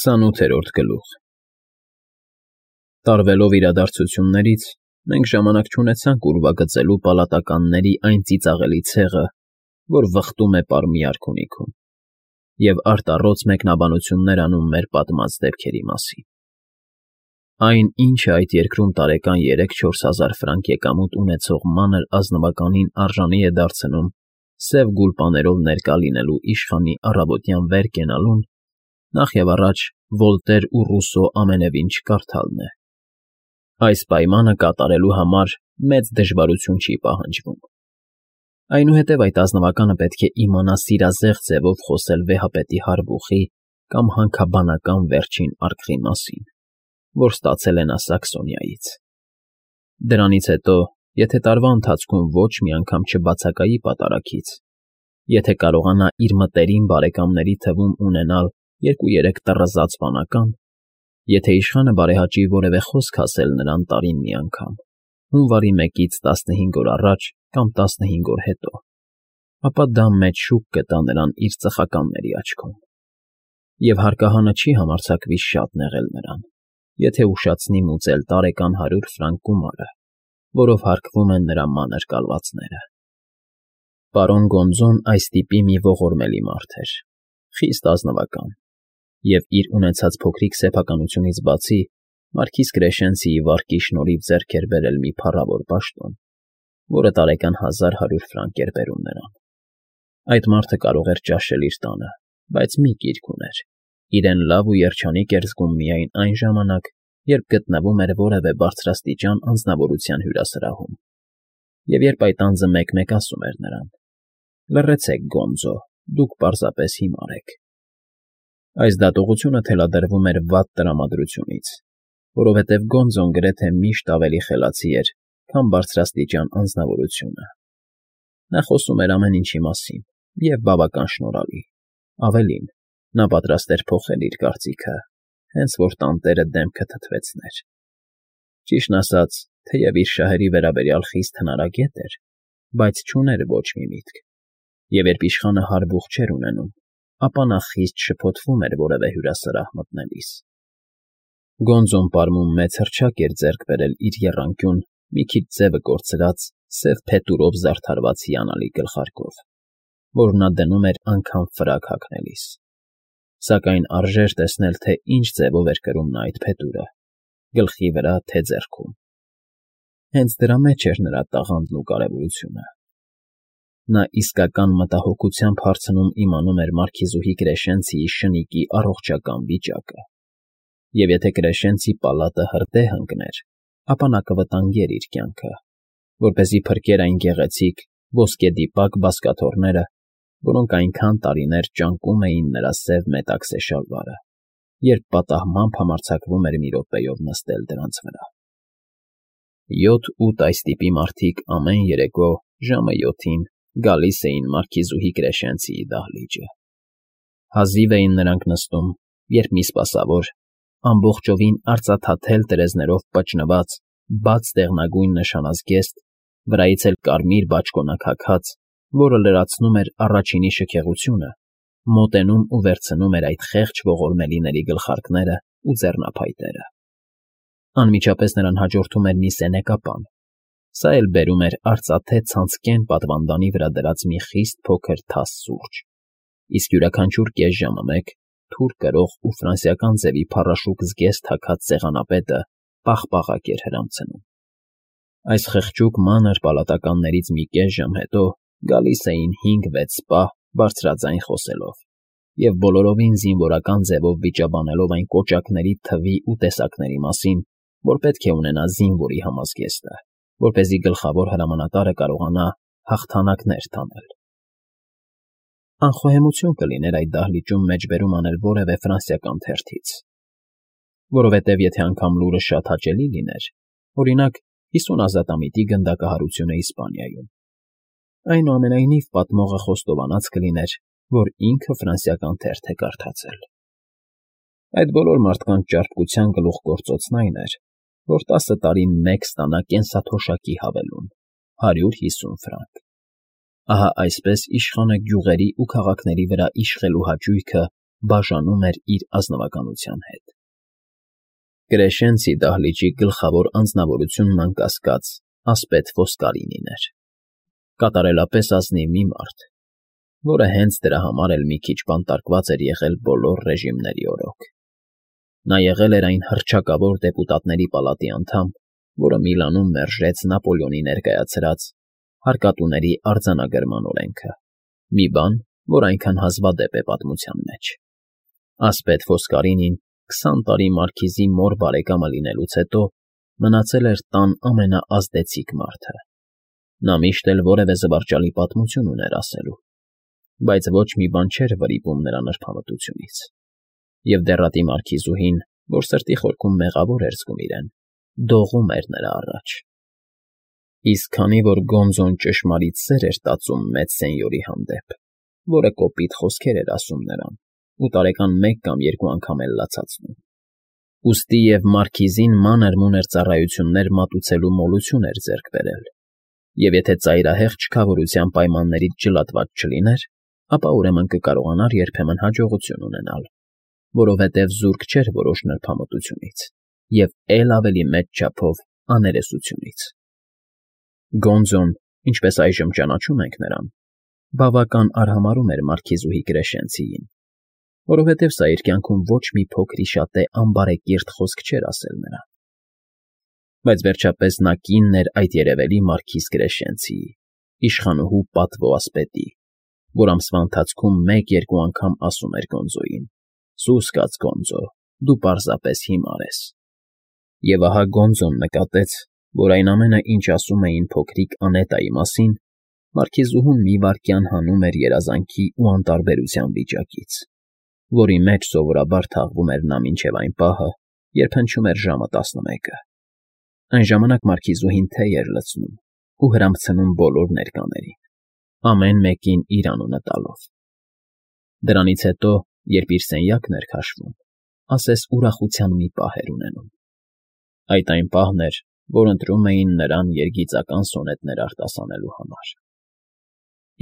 28-րդ գլուխ Տարվելով իրադարձություններից, մենք ժամանակ չունեցանք ուրվագծելու պալատականների այն ծիծաղելի ցեղը, որ վխտում է պարմի արքունիքում, և արտառոց մեկնաբանություններ անում մեր պատմած դեպքերի մասին։ Այն, ինչը այդ երկրում տարեկան 3-4 հազար ֆրանկ եկամուտ ունեցող մանր ազնվականին արժանի է դարձնում սև գուլպաներով ներկա լինելու իշխանի առավոտյան վեր կենալուն, նախ և առաջ Վոլտեր ու Ռուսո ամենևին չկարդալն է։ Այս պայմանը կատարելու համար մեծ դժվարություն չի պահանջվում։ Այնուհետև այդ ազնվականը պետք է իմանա սիրազեղ ձևով խոսել վեհապետի հարբուխի կամ հանքաբանական վերջին արկղի մասին, որ ստացել է նա Սաքսոնիայից։ Դրանից հետո, եթե տարվա ընթացքում ոչ մի անգամ չբացակայի պատարագից, եթե կարողանա իր մտերիմ բարեկամների թվում ունենալ 2-3 տռզած վանական, եթե իշխանը բարեհաճի որևէ խոսք ասել նրան տարին մի անգամ, հունվարի 1-ից 15 օր առաջ կամ 15 օր հետո, ապա դա մեծ շուք կտա նրան իր ծխականների աչքում, և հարկահանը չի համարձակվի շատ նեղել նրան, եթե ուշացնի մուծել տարեկան 100 ֆրանկ գումարը, որով հարկվում են նրա մանր կալվածները։ Պարոն Գոնզոն այս տիպի մի ողորմելի մարդ էր, խիստ ազնվական, և իր ունեցած փոքրիկ սեփականությունից բացի Մարքիզ Կրեշենցիի վարկի շնորհիվ ձեռք էր բերել մի փառավոր պաշտոն, որը տարեկան 1100 ֆրանկ էր բերում նրան։ Այդ մարդը կարող էր ճաշել իր տանը, բայց մի կիրք ուներ. իրեն լավ ու երջանիկ էր զգում միայն այն ժամանակ, երբ գտնվում էր որևէ բարձրաստիճան անձնավորության հյուրասրահում, և երբ այդ անձը մեկ-մեկ ասում էր նրան. «Լռեցեք, Գոնզո, դուք պարզապես հիմար եք»։ Այս դատողությունը թելադրվում էր վատ տրամադրությունից, որովհետև Գոնզոն գրեթե միշտ ավելի խելացի էր, քան բարձրաստիճան անձնավորությունը։ Նա խոսում էր ամեն ինչի մասին և բավական շնորհալի, ավելին, նա պատրաստ էր փոխել իր կարծիքը, հենց որ տանտերը դեմքը թթվեցներ։ Ճիշտն ասած, թեև իր շահերի վերաբերյալ խիստ հնարագետ էր, բայց չուներ ոչ մի միտք, և երբ իշխանը հարբուխ չէր ունենում, ապա նա խիստ շփոթվում էր որևէ հյուրասրահ մտնելիս։ Գոնզոն պարմուն մեծ հռչակ էր ձեռք բերել իր եռանկյուն, մի քիչ ձևը կորցրած, սև փետուրով զարդարված հիանալի գլխարկով, որ նա դնում էր անգամ ֆրակ հագնելիս։ Սակայն արժեր տեսնել, թե ինչ ձևով էր կրում նա այդ փետուրը՝ գլխի վրա, թե ձեռքում։ Հենց դրա մեջ էր նրա տաղանդն ու կարևորությունը։ Նա իսկական մտահոգությամբ հարցնում իմանում էր մարքիզուհի Կրեշենցիի շնիկի առողջական վիճակը, և եթե Կրեշենցի պալատը հրդեհ ընկներ, ապա նա կվտանգեր իր կյանքը, որպեսզի փրկեր այն գեղեցիկ, ոսկեդիպակ բազկաթոռները, որոնք այնքան տարիներ ճանկում էին նրա սև մետաքսե շալվարը, երբ պատահմամբ համարձակվում էր մի րոպեով նստել դրանց վրա։ 7-8 այս տիպի մարդիկ ամեն երեկո ժամը 7-ին գալիս էին մարքիզուհի Կրեշենցիի դահլիճը։ Հազիվ էին նրանք նստում, երբ մի սպասավոր, ամբողջովին արծաթաթել տերևներով պճնված, բաց դեղնագույն նշանազգեստ, վրայից էլ կարմիր բաճկոնակ հագած, որը լրացնում էր առաջինի շքեղությունը, մոտենում ու վերցնում էր այդ խեղճ ողորմելիների գլխարկները ու ձեռնափայտերը։ Անմիջապես նրան հաջորդում էր մի սենեկապան, սա էլ բերում էր արծաթե ցանցկեն պատվանդանի վրա դրած մի խիստ փոքր թաս սուրճ, իսկ յուրաքանչյուր կես ժամը մեկ թուր կրող ու ֆրանսիական ձևի փառաշուկ զգեստ հագած սեղանապետը պաղպաղակ էր հրամցնում։ Այս խղճուկ մանր պալատականներից մի կես ժամ հետո գալիս էին 5-6 սպա բարձրաձայն խոսելով և բոլորովին զինվորական ձևով վիճաբանելով այն կոճակների թվի ու տեսակների մասին, որ պետք է ունենա զինվորի համազգեստը, որպեսզի գլխավոր հրամանատարը կարողանա հաղթանակներ տանել։ Անխոհեմություն կլիներ այդ դահլիճում մեջբերում անել որևէ ֆրանսիական թերթից, որովհետև եթե անգամ լուրը շատ հաճելի լիներ, օրինակ 50 ազատամիտի գնդակահարությունը Իսպանիայում, այնուամենայնիվ պատմողը խոստովանած կլիներ, որ ինքը ֆրանսիական թերթ է կարդացել։ Այդ բոլոր մարդկանց ճարպկության գլուխգործոցն այն էր, որ 10 տարին մեկ ստանա կենսաթոշակի հավելում՝ 150 ֆրանկ։ Ահա այսպես իշխանը գյուղերի ու քաղաքների վրա իշխելու հաճույքը բաժանում էր իր ազնվականության հետ։ Կրեշենցի դահլիճի գլխավոր անձնավորությունն անկասկած ասպետ Ֆոսկարինին էր, կատարելապես ազնիվ մի մարդ, որը հենց դրա համար էլ մի քիչ բանտարկված էր եղել բոլոր ռեժիմների օրոք։ Նա եղել էր այն հռչակավոր դեպուտատների պալատի անդամ, որը Միլանում մերժեց Նապոլեոնի ներկայացրած հարկատուների արձանագրման օրենքը, մի բան, որ այնքան հազվադեպ է պատմության մեջ։ Ասպետ Ֆոսկարինին 20 տարի մարքիզի մոր բարեկամը լինելուց հետո մնացել էր տան ամենաազդեցիկ մարդը։ Նա միշտ էլ որևէ զվարճալի պատմություն ուներ ասելու, բայց ոչ մի բան չէր վրիպում նրա նրբամտությունից։ Եվ դեռատի մարքիզուհին, որ սրտի խորքում մեղավոր էր զգում իրեն, դողում էր նրա առաջ։ Իսկ քանի որ Գոնզոն ճշմարիտ սեր էր տածում մեծ սենյորի հանդեպ, որը կոպիտ խոսքեր էր ասում նրան ու տարեկան մեկ կամ երկու անգամ էլ լացացնում, ուստի և մարքիզին մանր-մունր ծառայություններ մատուցելու մոլություն էր ձեռք բերել, և եթե ծայրահեղ չքավորության պայմաններից ջլատված չլիներ, ապա ուրեմն կկարողանար երբեմն հաջողություն ունենալ, որովհետև զուրկ չէր որոշ նրբամտությունից և էլ ավելի մեծ չափով աներեսությունից։ Գոնզոն, ինչպես այժմ ճանաչում ենք նրան, բավական արհամարհում էր մարքիզուհի Կրեշենցիին, որովհետև սա իր կյանքում ոչ մի փոքրիշատե անբարեկիրթ խոսք չէր ասել նրան։ Բայց վերջապես նա կինն էր այդ երևելի մարքիզ Կրեշենցիի, իշխանուհու պատվո ասպետի, որ ամսվա ընթացքում մեկ-երկու անգամ ասում էր Գոնզոյին. «Սուս կաց Գոնզո, դու պարզապես հիմար ես»։ Եվ ահա Գոնզոն նկատեց, որ այն ամենը, ինչ ասում էին փոքրիկ Անետայի մասին, մարքիզուհուն մի վայրկյան հանում էր երազանքի ու անտարբերության վիճակից, որի մեջ սովորաբար թաղվում էր նա մինչև այն պահը, երբ հնչում էր ժամը 11-ը։ Այն ժամանակ մարքիզուհին թեյ էր լցնում ու հրամցնում բոլոր ներկաներին, ամեն մեկին իր անունը տալով։ Դրանից հետո, երբ իր սենյակն էր քաշվում, ասես ուրախության մի պահ էր ունենում։ Այդ այն պահն էր, որ ընտրում էին նրան երգիծական սոնետներ արտասանելու համար։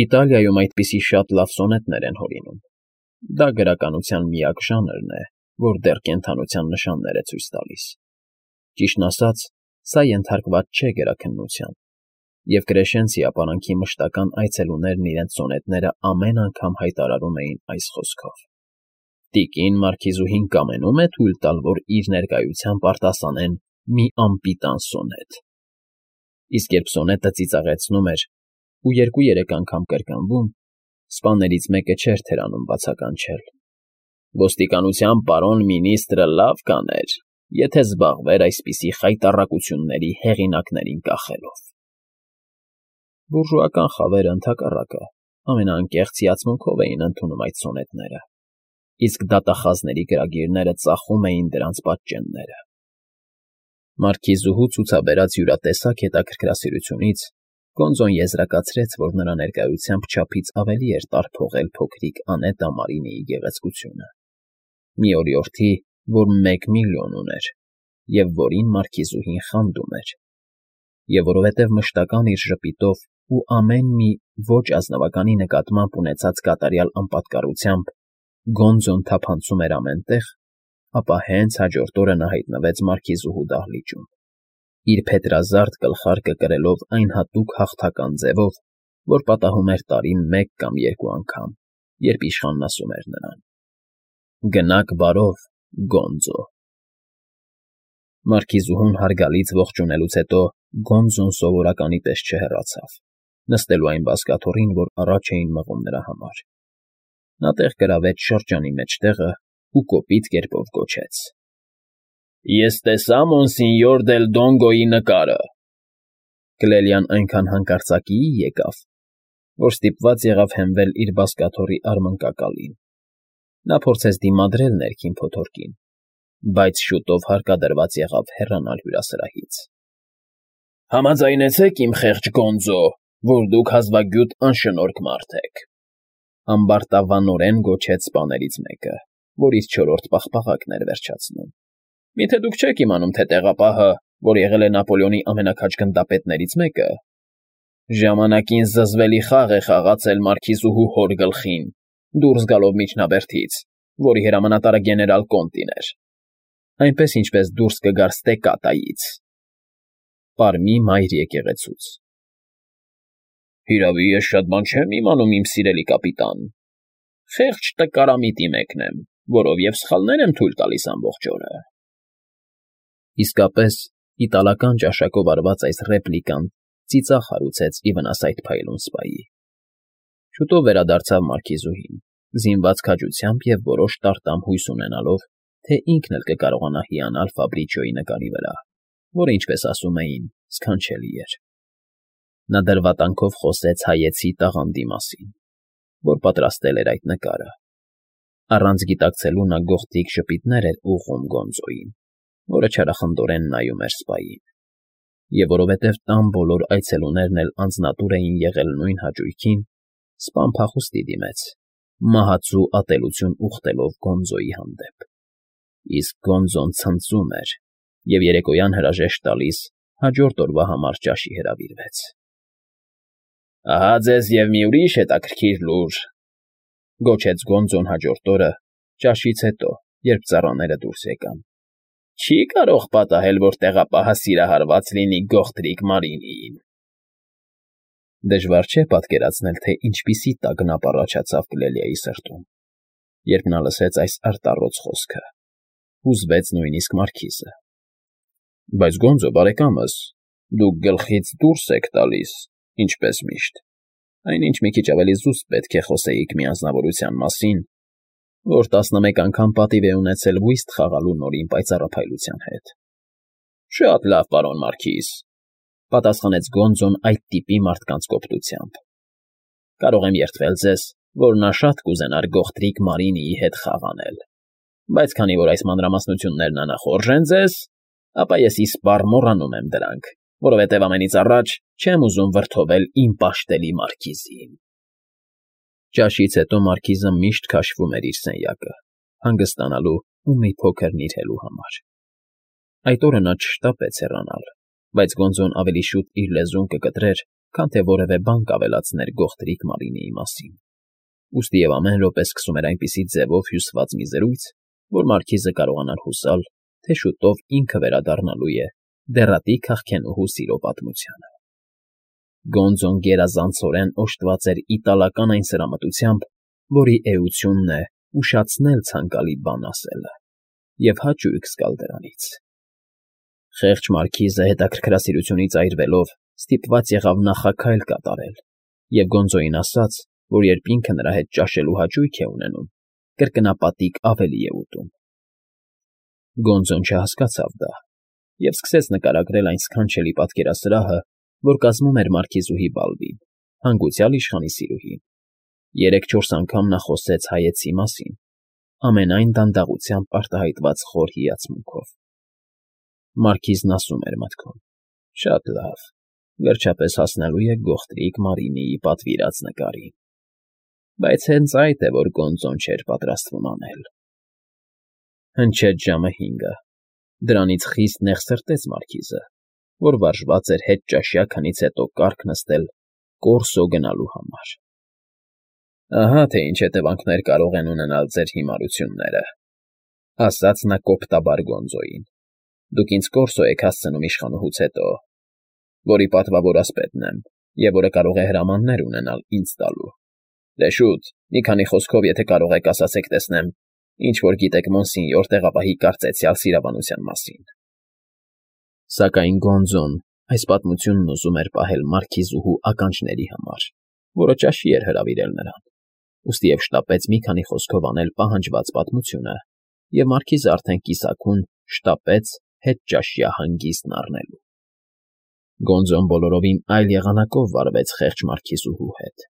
Իտալիայում այդպիսի շատ լավ սոնետներ են հորինում։ Դա գրականության միակ ժանրն է, որ դեռ կենդանության նշաններ է ցույց տալիս։ Ճիշտն ասած, սա ենթարկված չէ գրաքննության, և Կրեշենցի ապարանքի մշտական այցելուներն իրենց սոնետները ամեն անգամ հայտարարում էին այս խոսքով. «Տիկին մարքիզուհին կամենում է թույլ տալ, որ իր ներկայությամբ արտասանեն մի անպիտան սոնետ»։ Իսկ երբ սոնետը ծիծաղեցնում էր ու 2-3 անգամ կրկնվում, սպաներից մեկը չէր թերանում բացականչել. «Ոստիկանության պարոն մինիստրը լավ կաներ, եթե զբաղվեր այսպիսի խայտառակությունների հեղինակներին կախելով»։ Բուրժուական խավերը, ընդհակառակը, ամենաանկեղծ հիացմունքով էին ընդունում այդ սոնետները, իսկ դատախազների գրագիրները ծախում էին դրանց պատճենները։ Մարքիզուհու ցուցաբերած յուրատեսակ հետաքրքրասիրությունից Գոնզոն եզրակացրեց, որ նրա ներկայությամբ չափից ավելի էր տարփողել փոքրիկ Անետա Մարինիի գեղեցկությունը, մի օրիորդի, որ 1 միլիոն ուներ, և որին մարքիզուհին խանդում էր, և որովհետև մշտական իր ժպիտով ու ամեն մի ոչ ազնվականի նկատմամբ ունեցած կատարյալ անպատկառությամբ Գոնզոն թափանցում էր ամեն տեղ, ապա հենց հաջորդ օրը նա հայտնվեց մարքիզուհու դահլիճում, իր փետրազարդ գլխարկը կրելով այն հատուկ հաղթական ձևով, որ պատահում էր տարին 1 կամ 2 անգամ, երբ իշխանն ասում էր նրան. «Գնաք բարով, Գոնզո»։ Մարքիզուհուն հարգալից ողջունելուց հետո Գոնզոն սովորականի պես չհեռացավ, նստելու այն բազկաթոռին, որ առաջ էին մղում նրա համար։ Նա տեղ գրավեց շրջանի մեջտեղը ու կոպիտ կերպով գոչեց. «Ես տեսա Մոնսինյոր դել Դոնգոյի նկարը»։ Կլելիան այնքան հանկարծակիի եկավ, որ ստիպված եղավ հենվել իր բազկաթոռի արմնկակալին։ Նա փորձեց դիմադրել ներքին փոթորկին, բայց շուտով հարկադրված եղավ հեռանալ հյուրասրահից։ «Համաձայնեցեք, իմ խեղճ Գոնզո, որ դուք հազվագյուտ անշնորհք մարդ եք», ամբարտավանորեն գոչեց սպաներից մեկը, որ իր 4-րդ պաղպաղակն էր վերջացնում։ «Միթե դուք չեք իմանում, թե տեղապահը, որ եղել է Նապոլեոնի ամենաքաջ գնդապետներից մեկը, ժամանակին զզվելի խաղ է խաղացել մարքիզուհու հոր գլխին, դուրս գալով միջնաբերդից որի հրամանատարը գեներալ Կոնտին էր, այնպես ինչպես դուրս կգար Ստեկատայից, Պարմի մայր եկեղեցուց։ Հիրավի, ես շատ բան չեմ իմանում, իմ սիրելի կապիտան, խեղճ տկարամիտի մեկն եմ, որով և սխալներ եմ թույլ տալիս ամբողջ օրը։ Իսկապես, իտալական ճաշակով արված այս ռեպլիկան ծիծաղ հարուցեց ի վնաս այդ փայլուն սպայի։ Շուտով վերադարձավ մարքիզուհին, զինված քաջությամբ և որոշ տարտամ հույս ունենալով, թե ինքն էլ կկարողանա հիանալ Ֆաբրիչիոյի նկարի վրա, որը, ինչպես ասում էին, սքանչելի էր։ Նա դրվատանքով խոսեց հայեցի տաղանդի մասին, որ պատրաստել էր այդ նկարը։ Առանց գիտակցելու նա գողտրիկ ժպիտներ էր ուղղում Գոնզոյին, որը չարախնդորեն նայում էր սպային, և որովհետև տան բոլոր այցելուներն էլ անձնատուր էին եղել նույն հաճույքին, սպան փախուստի դիմեց, մահացու ատելություն ուխտելով Գոնզոյի հանդեպ։ Իսկ Գոնզոն ցնծում էր և երեկոյան հրաժեշտ տալիս հաջորդ օրվա համար ճաշի հրավիրվեց։ Ահա ձեզ և մի ուրիշ հետաքրքիր լուր, գոչեց Գոնզոն հաջորդ օրը, ճաշից հետո, երբ ծառաները դուրս եկան։ Չի կարող պատահել, որ տեղապահը սիրահարված լինի գողտրիկ Մարինիին։ Դժվար չէ պատկերացնել, թե ինչպիսի տագնապ առաջացավ Կլելիայի սրտում, երբ նա լսեց այս արտառոց խոսքը, հուզվեց նույնիսկ մարքիզը։ Բայց Գոնզո բարեկամս, դուք գլխից դուրս եք տալիս, ինչպես միշտ, այնինչ մի քիչ ավելի զուսպ պետք է խոսեիք մի անձնավորության մասին, որ 11 անգամ պատիվ է ունեցել վիստ խաղալու նորին պայծառափայլության հետ։ Շատ լավ, պարոն մարքիզ, պատասխանեց Գոնզոն այդ տիպի մարդկանց կոպտությամբ։ Կարող եմ երդվել ձեզ, որ նա շատ կուզենար գողտրիկ Մարինիի հետ խաղ անել, բայց քանի որ այս մանրամասնություններն անախորժ են ձեզ, ապա ես իսպառ մոռանում եմ դրանք, որովհետև ամենից առաջ չեմ ուզում վրդովել իմ պաշտելի մարքիզին։ Ճաշից հետո մարքիզը միշտ քաշվում էր իր սենյակը, հանգստանալու ու մի փոքր նիրհելու համար։ Այդ օրը նա չշտապեց հեռանալ, բայց Գոնզոն ավելի շուտ իր լեզուն կկտրեր, քան թե որևէ բան կավելացներ գողտրիկ Մարինիի մասին։ Ուստի և ամեն րոպե սկսում էր այնպիսի ձևով հյուսված մի զրույց, որ մարքիզը կարողանար հուսալ, թե շուտով ինքը վերադառնալու է դեռատի քաղքենուհու սիրո պատմությանը։ Գոնզոն գերազանցորեն օժտված էր իտալական այն սրամտությամբ, որի էությունն է ուշացնել ցանկալի բան ասելը և հաճույք զգալ դրանից։ Խեղճ մարքիզը հետաքրքրասիրությունից այրվելով ստիպված եղավ նախաքայլ կատարել և Գոնզոյին ասաց, որ երբ ինքը նրա հետ ճաշելու հաճույք է ունենում, կրկնապատիկ ավելի է ուտում։ Գոնզոն չհասկացավ դա և սկսեց նկարագրել այն սքանչելի պատկերասրահը, որ կազմում էր մարքիզուհի Բալբին, հանգուցյալ իշխանի սիրուհին։ 3-4 անգամ նա խոսեց հայեցի մասին, ամենայն դանդաղությամբ արտահայտված խոր հիացմունքով։ Մարքիզն ասում էր մտքում. շատ լավ, վերջապես հասնելու է գողտրիկ Մարինիի պատվիրած նկարին։ Բայց հենց այդ է, որ Գոնզոն չէր պատրաստվում անել։ Հնչեց ժամը 5-ը։ Դրանից խիստ նեղսրտեց մարքիզը, որ վարժված էր հետճաշյա քնից հետո կառք նստել Կորսո գնալու համար։ Ահա թե ինչ հետևանքներ կարող են ունենալ ձեր հիմարությունները, ասաց նա կոպտաբար Գոնզոյին։ Դուք ինձ Կորսո եք հասցնում իշխանուհուց հետո, որի պատվավոր ասպետն եմ և որը կարող է հրամաններ ունենալ ինձ տալու։ Դե շուտ, մի քանի խոսքով, եթե կարող եք, ասացեք տեսնեմ, ինչ որ գիտեք Մոնսինյոր տեղապահի կարծեցյալ սիրաբանության մասին։ Սակայն Գոնզոն այս պատմությունն ուզում էր պահել մարքիզուհու ականջների համար, որը ճաշի էր հրավիրել նրան, ուստի և շտապեց մի քանի խոսքով անել պահանջված պատմությունը, և մարքիզը արդեն կիսաքուն շտապեց հետճաշյա հանգիստն առնելու։ Գոնզոն բոլորովին այլ եղանակով վարվեց խեղճ մարքիզուհու հետ։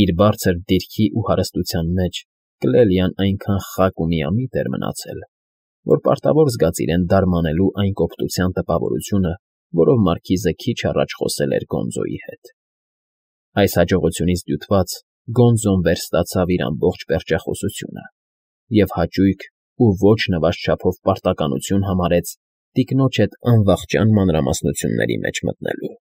Իր բարձր դիրքի ու հարստության մեջ Կլելիան այնքան խակ ու միամիտ էր մնացել, որ պարտավոր զգաց իրեն դարմանելու այն կոպտության տպավորությունը, որով մարքիզը քիչ առաջ խոսել էր Գոնզոյի հետ։ Այս հաջողությունից դյութված Գոնզոն վերստացավ իր ամբողջ պերճախոսությունը և հաճույք ու ոչ նվազ չափով պարտականություն համարեց տիկնոջ հետ անվախճան մանրամասնությունների մեջ մտնելու։